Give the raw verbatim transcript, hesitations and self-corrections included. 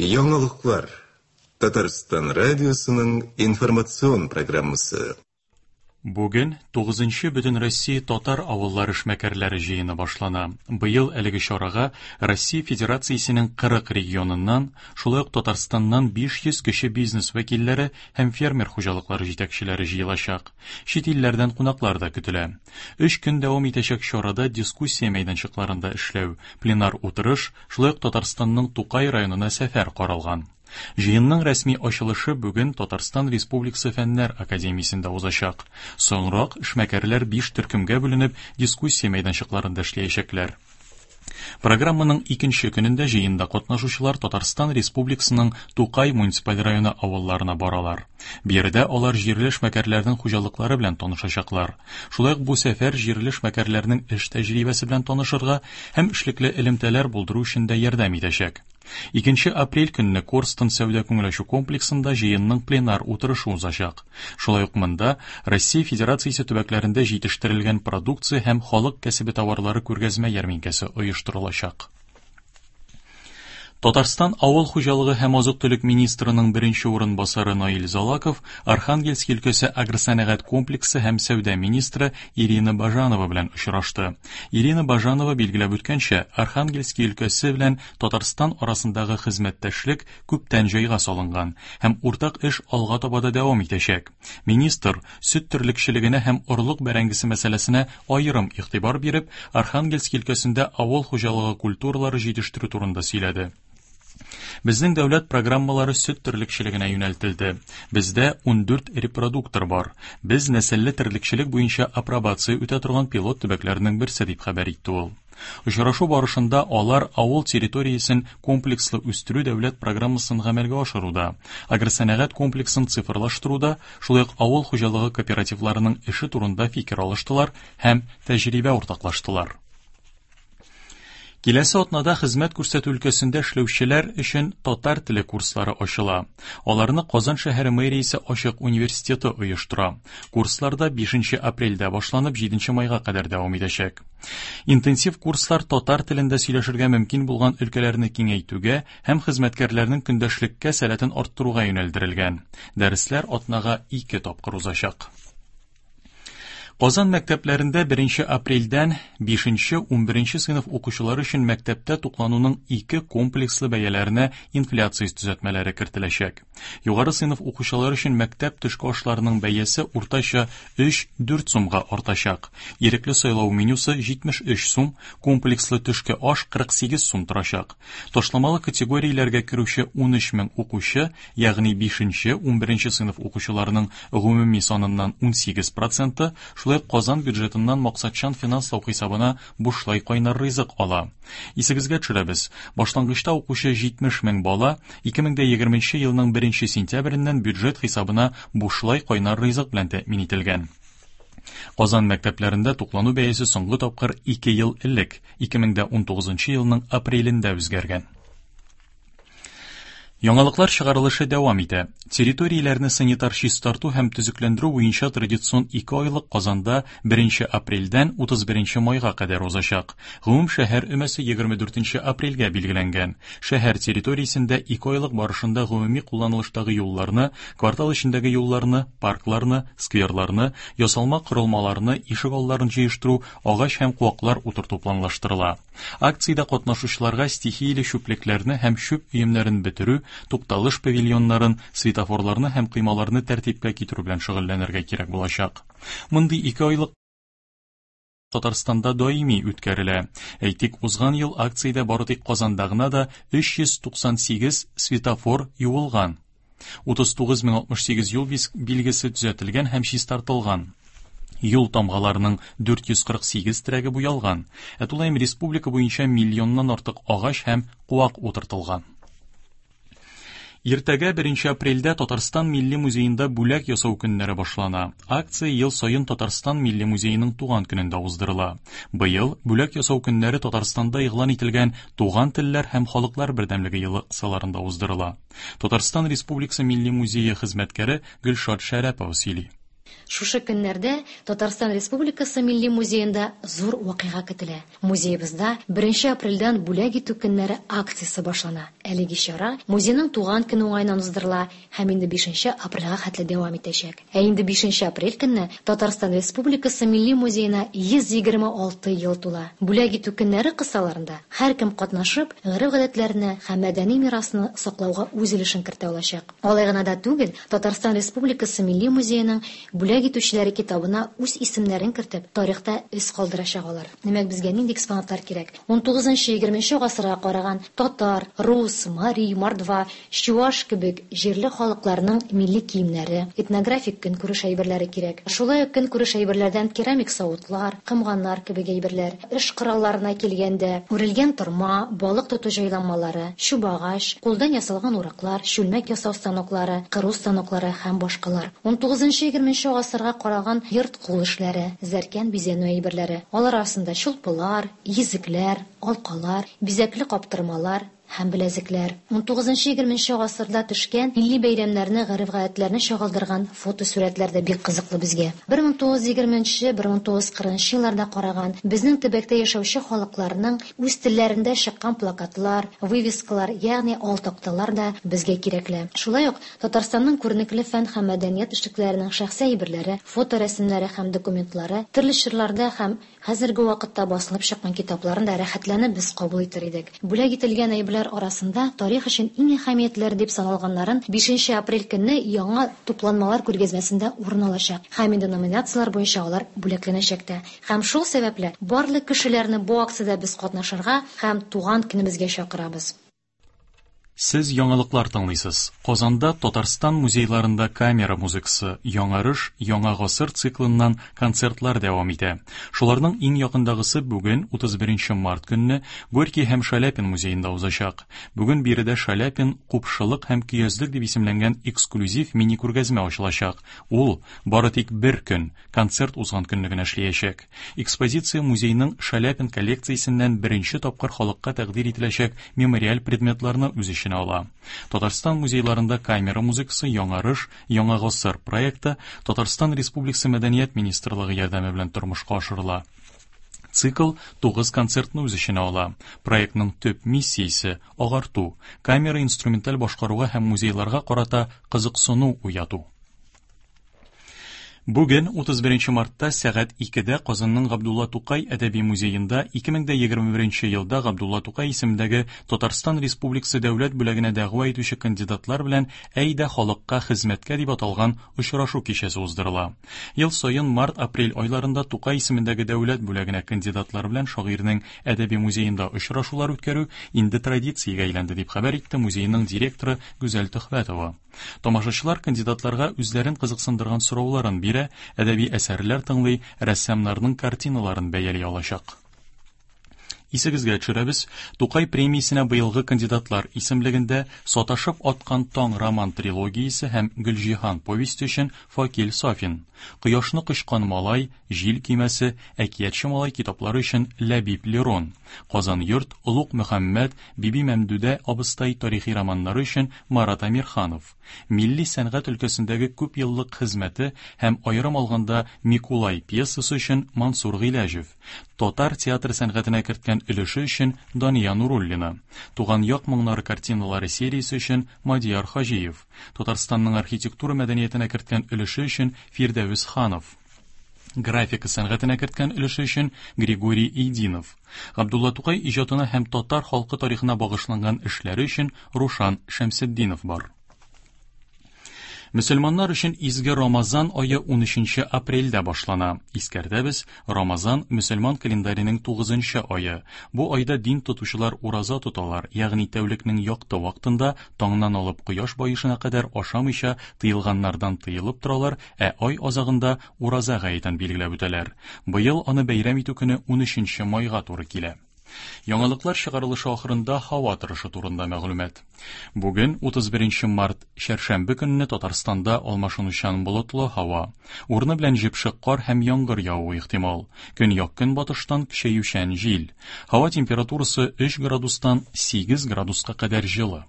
Яңалыклар. Татарстан радиосының информацион программасы. Бүген тугызынчы Бөтенроссия татар авыллары эшмәкәрләре җыены башлана. Быел әлеге чарага Россия Федерациясенең кырык регионыннан, шулай ук Татарстаннан биш йөз кече бизнес вәкилләре һәм фермер хуҗалыклары җитәкчеләре җыелачак. Чит илләрдән кунаклар да көтелә. Өч көн дәвам итәчәк чарада дискуссия мәйданчыкларында эшләү, пленар утырыш, шулай ук Татарстанның Тукай районына сәфәр каралган. Җыенның рәсми ачылышы бүген Татарстан Республикасы Фәннәр Академиясендә узачак. Соңрак эшмәкәрләр биш төркемгә бүленеп дискуссия мәйданчыкларында эшләячәкләр. Программаның икенче көнендә җыенда катнашучылар Татарстан Республикасының Тукай муниципаль районы авылларына баралар. Биредә алар җирле эшмәкәрләрнең хуҗалыклары белән танышачаклар. Шулай ук бу сәфәр җирле эшмәкәрләрнең эш тәҗрибәсе белән танышырга һәм эшлекле элемтәләр булдыру өчен дә ярдәм итәчәк. Икенче апрель көнне Корстон сәүдә күңел ачу комплексында җыенның пленар утырышы узачак. Шулай ук монда Россия Федерациясе төбәкләрендә җитештерелгән продукция һәм халык кәсебе товарлары күргәзмә ярминкәсе оештырылачак. Татарстан авыл хуҗалыгы һәм азык-төлек министрының беренче урынбасары Наил Залаков Архангельск өлкәсе агросәнәгать комплексы һәм сәүдә министры Ирина Бажанова белән очрашты. Ирина Бажанова билгеләп үткәнчә, Архангельск өлкәсе белән Татарстан арасындагы хезмәттәшлек күптән җайга салынган һәм уртак эш алга таба да дәвам итәчәк. Министр сөт терлекчелегенә һәм орлык бәрәңгесе мәсьәләсенә аерым игътибар биреп, Архангельск өлкәсендә авыл хуҗалыгы культуралары җитештерү турында сөйләде. Безнең дәүләт программалары сөт терлекчелегенә юнәлтелде. Бездә ундүрт репродуктор бар. Без нәселле терлекчелек буенча апробация үтә торган пилот төбәкләрнең берсе дип хәбәр итте ул. Очрашу барышында алар авыл территориясен комплекслы үстерү дәүләт программасын гамәлгә ашыруда, агросәнәгать комплексын цифрлаштыруда, шулай ук авыл хуҗалыгы кооперативларының эше турында фикер алыштылар һәм тәҗрибә уртаклаштылар. Киләсе атнада хезмәт күрсәтү өлкәсендә эшләүчеләр өчен татар теле курслары ачыла. Аларны Казан шәһәре мэриясе Ачык университеты оештыра. Курсларда бишенче апрельдә башланып җиденче майга кадәр дәвам итәчәк. Интенсив курслар татар телендә сөйләшергә мөмкин булган өлкәләрне киңәйтүгә һәм хезмәткәрләрнең көндәшлеккә сәләтен арттыруга юнәлдерелгән. Дәресләр атнага ике тапкыр узачак. Казан мәктәпләрендә беренче апрельдән бишенче унберенче сыйныф укучылары өчен мәктәптә туклануның ике комплекслы бәяләренә инфляция төзәтмәләре кертеләчәк. Югары сыйныф укучылары өчен мәктәп төшке ашларының бәясе уртача өч-дүрт сумга артачак. Ирекле сайлау менюсы җитмеш өч сум, комплекслы төшке аш кырык сигез сум торачак. Ташламалы категорияләргә керүче унөч мең укучы, ягъни бишенче унберенче сыйныф укучыларының гомуми саныннан унсигез проценты, шулай ук Казан бюджетыннан максатчан финанслау хисабына бушлай кайнар ризык ала. Исегезгә төшерәбез, башлангычта укучы җитмеш мең бала ике мең дә егерменче елның беренче сентябреннән бюджет хисабына бушлай кайнар ризык белән тәэмин ителгән. Казан мәктәпләрендә туклану бәясе соңгы тапкыр ике ел элек, ике мең дә унтугызынчы елның апрелендә үзгәргән. Яңалыклар чыгарылышы дәвам итә. Территорияләрне санитар чистарту һәм төзекләндерү буенча традицион ике айлык Казанда беренче апрельдән утыз беренче майга кадәр узачак. Гомум шәһәр өмәсе егерме дүртенче апрельгә билгеләнгән. Шәһәр территориясендә ике айлык барышында гомуми кулланылыштагы юлларны, квартал эчендәге юлларны, паркларны, скверларны, ясалма корылмаларны, ишек алларын җыештыру, агач һәм куаклар утырту планлаштырыла. Акциядә катнашучыларга стихияле чүплекләрне һәм чүп өемнәрен бетерү, тукталыш павильоннарын, светофорларны һәм коймаларны тәртипкә китерү белән шөгыльләнергә кирәк булачак. Мондый ике айлык Татарстанда даими үткәрелә. Әйтик, узган ел акциядә бары тик Казанда гына да өч йөз туксан сигез светофор юылган. Утыз тугыз мең алтмыш сигез юл билгесе төзәтелгән һәм чистартылган. Юл тамгаларының дүрт йөз кырык сигез терәге буялган. Ә тулаем республика буенча миллионнан артык агач һәм куак утыртылган. Иртәгә беренче апрельдә Татарстан Милли музеенда бүләк ясау көннәре башлана. Акция ел саен Татарстан Милли музееның туган көнендә уздырыла. Быел бүләк ясау көннәре Татарстанда игълан ителгән Туган телләр һәм халыклар бердәмлеге елы кысаларында уздырыла. Татарстан Республикасы Милли музее хезмәткәре Гөлшат Шәрәпова сөйли. Шушы көннәрдә Татарстан Республикасы Милли музеенда зур вакыйга көтелә. Музеебызда беренче апрельдән бүләк итү көннәре акциясе башлана. Әлеге чара музейның туган көне уңаеннан уздырыла һәм инде бишенче апрельгә хәтле дәвам итәчәк. Ә инде бишенче апрель көнне Татарстан Республикасы Милли музеена йөз егерме алты ел тула. Бүләк итү көннәре кысаларында һәркем катнашып, гореф-гадәтләрне һәм мәдәни мирасны саклауга үз өлешен кертә алачак. Алай гына да түгел, Татарстан Республикасы Милли музееның бүләк итүчеләре китабына үз исемнәрен кертеп, тарихта эз калдырачак алар. Димәк, безгә нинди экспонатлар кирәк? ун тугызынчы, егерменче гасырга караган татар, рус, мари, мордва, чуаш кебек җирле халыкларның милли киемнәре, этнографик көнкүреш әйберләре кирәк. Шулай ук көнкүреш әйберләрдән керамик савытлар, комганнар кебек әйберләр, эш коралларына килгәндә, үрелгән торма, балык тоту җайланмалары, чубагач, кулдан ясалган ураклар, чүлмәк ясау станоклары, кыру станоклары һәм башкалар. ун тугызынчы, егерменче гасырга караган йорт кул эшләре, зәркән бизәнү әйберләре. Алар арасында чулпылар, йөзекләр, алкалар, бизәкле каптырмалар һәм беләзекләр. ун тугызынчы, егерменче гасырда төшкән милли бәйрәмнәрне, гореф-гадәтләрне чагылдырган фотосурәтләр дә бик кызыклы безгә. бер мең тугыз йөз егерменче, бер мең тугыз йөз кырыгынчы елларда караган безнең төбәктә яшәүче халыкларның үз телләрендә чыккан плакатлар, вывескалар, ягъни алтакталар да безгә кирәкле. Шулай ук Татарстанның күренекле фән һәм мәдәният эшлекләренең шәхси әйберләре, фоторәсемнәре һәм документлары, төрле чорларда һәм хәзерге вакытта басылып чыккан китапларын да рәхәтләнеп без кабул итер идек. Бүләк ителгән әйберләр арасында тарих өчен иң әһәмиятләре дип саналганнарын бишенче апрель көнне яңа тупланмалар күргәзмәсендә урын алачак. Һәм инде номинацияләр буенча алар бүләкләнәчәк тә. Һәм шул сәбәпле барлык кешеләрне бу акциядә без катнашырга һәм туган көнебезгә чакырабыз. Сез яңалыклар тыңлыйсыз. Казанда Татарстан музейларында камера музыкасы Яңарыш, Яңа гасыр циклыннан концертлар дәвам итә. Шуларның иң якындагысы бүген утыз беренче март көнне Горький һәм Шаляпин музеенда узачак. Бүген биредә Шаляпин купшылык һәм көязлек дип исемләнгән эксклюзив мини-күргәзмә ачылачак. Ул бары тик бер көн, концерт узган көнне генә эшләячәк. Экспозиция музейның Шаляпин коллекциясеннән беренче тапкыр халыкка тәкъдир ителәчәк мемориаль предметларны үз эченә ала. Татарстан музейларында камера музыкасы Яңарыш, Яңа гасыр проекты Татарстан Республикасы Мәдәният министрлыгы ярдәме белән тормышка ашырыла. Цикл тугыз концертны үз эченә ала. Проектның төп миссиясе агарту, камера инструменталь башкаруга һәм музейларга карата кызыксыну уяту. Бүген утыз беренче мартта сәгать икедә Казанның Габдулла Тукай әдәби музеенда ике мең дә егерме беренче елда Габдулла Тукай исемендәге Татарстан Республикасы дәүләт бүләгенә дәгъва итүче кандидатлар белән Әйдә халыкка хезмәткә дип аталган очрашу кичәсе уздырыла. Ел саен март-апрель айларында Тукай исемендәге дәүләт бүләгенә кандидатлар белән шагыйрьнең әдәби музеенда очрашулар үткәрү инде традициягә әйләнде дип хәбәр итте музейның директоры Гүзәл Төхвәтова. Тамашачылар кандидатларга үзләрен кызыксындырган сорауларын бирә, әдәби әсәрләр тыңлый, рәссамнарның картиналарын бәяли алачак. Исегезгә төшерәбез, Тукай премиясенә быелгы кандидатлар исемлегендә Саташып аткан таң роман трилогиясе һәм Гөлҗиһан повесте өчен Факил Сафин, Кояшны кочкан малай, Җил көймәсе, Әкиятче малай китаплары өчен Ләбиб Лерон, Казан йорт, Олуг Мөхәммәд, Биби Мәмдүдә абыстай тарихи романнары өчен Марат Әмирханов, милли сәнгать өлкәсендәге күп еллык хезмәте һәм аерым алганда Микулай пьесасы өчен Мансур Гыйләҗев, татар театр сәнгатенә керткән өлеше өчен Дания Нуруллина, Туган як моңнары картиналары сериясе өчен Мадияр Хаҗиев, Татарстанның архитектура мәдәниятенә керткән өлеше өчен Фирдәвес Ханов, графика сәнгатенә керткән өлеше өчен Григорий Идинов, Габдулла Тукай иҗатына һәм татар халкы тарихына багышланган эшләре өчен Рушан Шәмсетдинов бар. Мөселманнар өчен изге Рамазан ае унөченче апрельдә башлана. Искәртәбез, Рамазан мөселман календарының тугызынчы ае. Бу айда дин тотучылар ураза тоталар, ягъни тәүлекнең якты вакытында таңнан алып кояш баешына кадәр ашамыйча тыелганнардан тыелып торалар, ә ай азагында ураза гаетен билгеләп үтәләр. Быел аны бәйрәм итү көне унөченче майга туры килә. Яңалыклар чыгарылышы ахырында һава торышы турында мәгълүмат. Бүген утыз беренче март чәршәмбе көнне Татарстанда алмашынучан болытлы һава. Урыны белән җепшек кар һәм яңгыр явуы ихтимал. Көньяк көнбатыштан көчәючән җил. Һава температурасы өч градустан сигез градуска кадәр җылы.